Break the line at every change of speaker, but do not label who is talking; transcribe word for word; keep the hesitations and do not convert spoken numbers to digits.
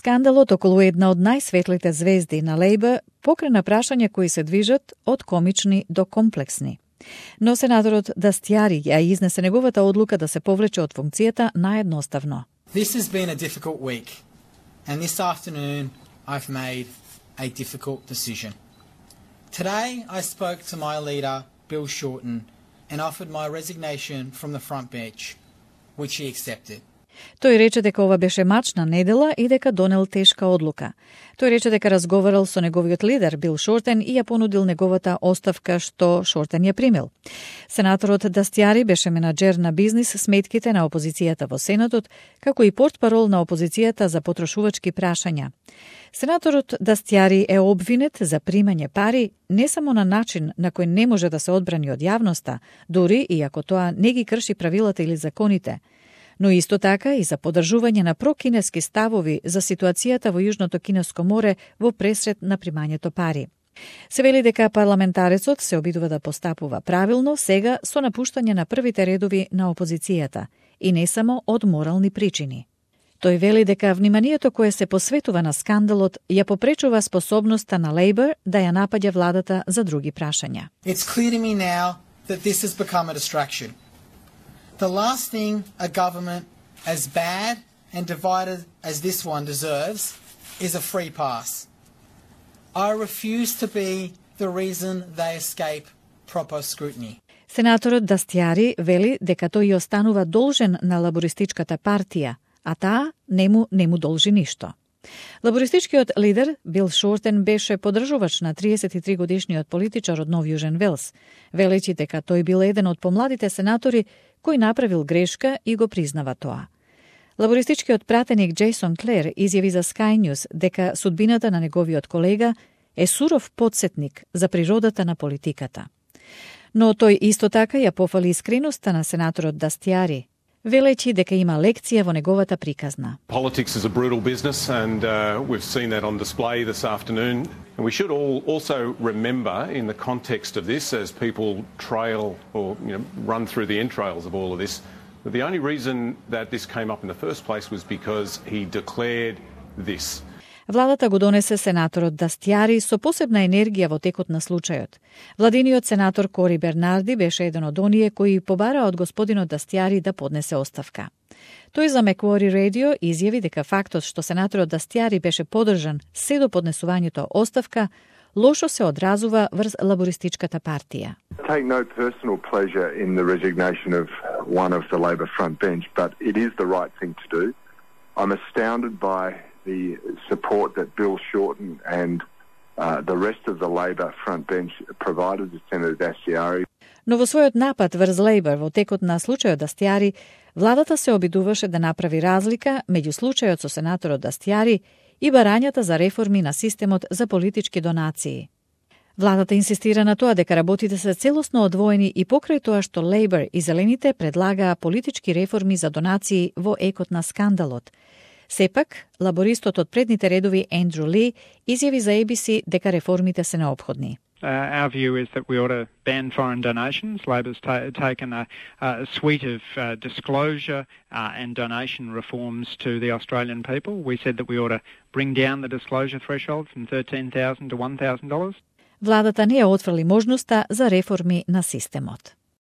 Скандалот околу една од најсветлите звезди на Лейбър покрена прашања кои се движат од комични до комплексни. Но сенаторот Дастјари ја изнесе неговата одлука да се повлече од функцијата наедноставно.
This has been a difficult week, and this afternoon I've made a difficult decision. Today I spoke to my leader, Bill Shorten, and offered my resignation from the front bench, which he accepted.
Тој рече дека ова беше мачна недела и дека донел тешка одлука. Тој рече дека разговарал со неговиот лидер Бил Шортен и ја понудил неговата оставка, што Шортен ја примил. Сенаторот Дастјари беше менаџер на бизнис сметките на опозицијата во Сенатот, како и портпарол на опозицијата за потрошувачки прашања. Сенаторот Дастјари е обвинет за примање пари не само на начин на кој не може да се одбрани од јавноста, дури и ако тоа не ги крши правилата или законите, но исто така и за поддржување на прокинески ставови за ситуацијата во Јужното Кинеско море во пресред на примањето пари. Се вели дека парламентарецот се обидува да постапува правилно сега со напуштање на првите редови на опозицијата и не само од морални причини. Тој вели дека вниманието кое се посветува на скандалот ја попречува способноста на Лейбър да ја напаѓа владата за други прашања.
It's clear to me now that this has become a distraction. The last thing a government as bad and divided as this one deserves is a free pass. I refuse to be the reason they escape proper scrutiny.
Сенаторот Дастјари вели дека тој ја останува должен на лабористичката партија, а таа не му, не му должи ништо. Лабористичкиот лидер Бил Шортен беше поддржувач на триесет и три годишниот политичар од Нов Јужен Велс, велејќи дека тој бил еден од помладите сенатори кој направил грешка и го признава тоа. Лабористичкиот пратеник Джейсон Клер изјави за Sky News дека судбината на неговиот колега е суров потсетник за природата на политиката. Но тој исто така ја пофали искреноста на сенаторот Дастјари, велејќи дека има лекција во неговата приказна.
Politics is a brutal business, and uh, we've seen that on display this afternoon. And we should all also remember, in the context of this, as people trail or you know, run through the entrails of all of this, that the only reason that this came up in the first place was because he declared this.
Владата го донесе сенаторот Дастјари со посебна енергија во текот на случајот. Владиниот сенатор Кори Бернарди беше еден од оние кои побара од господинот Дастјари да поднесе оставка. Тој за Macquarie Radio изјави дека фактот што сенаторот Дастјари беше поддржан се до поднесувањето оставка лошо се одразува врз лабористичката партија.
Take no personal pleasure in the resignation of one of the Labor front bench, but it is the right thing to do. I'm astounded by the support that Bill Shorten and uh, the rest of the Labor front bench provided to Senator Dastјари.
Но во својот напад врз Лейбър во текот на случајот Дастјари, владата се обидуваше да направи разлика меѓу случајот со сенаторот Дастјари и барањата за реформи на системот за политички донации. Владата инсистира на тоа дека работите се целосно одвоени и покрај тоа што Лейбър и Зелените предлагаа политички реформи за донации во екот на скандалот. Сепак, лабористот од предните редови Ендрю Ли изјави за A B C дека реформите се неопходни.
Uh, our view is that we ought to ban foreign donations. Labor's ta- taken a, a suite of uh, disclosure uh, and donation reforms to the Australian people. We said that we ought to bring down the disclosure threshold from thirteen thousand dollars to one thousand dollars.
Владата не ја отфрли можноста за реформи на системот.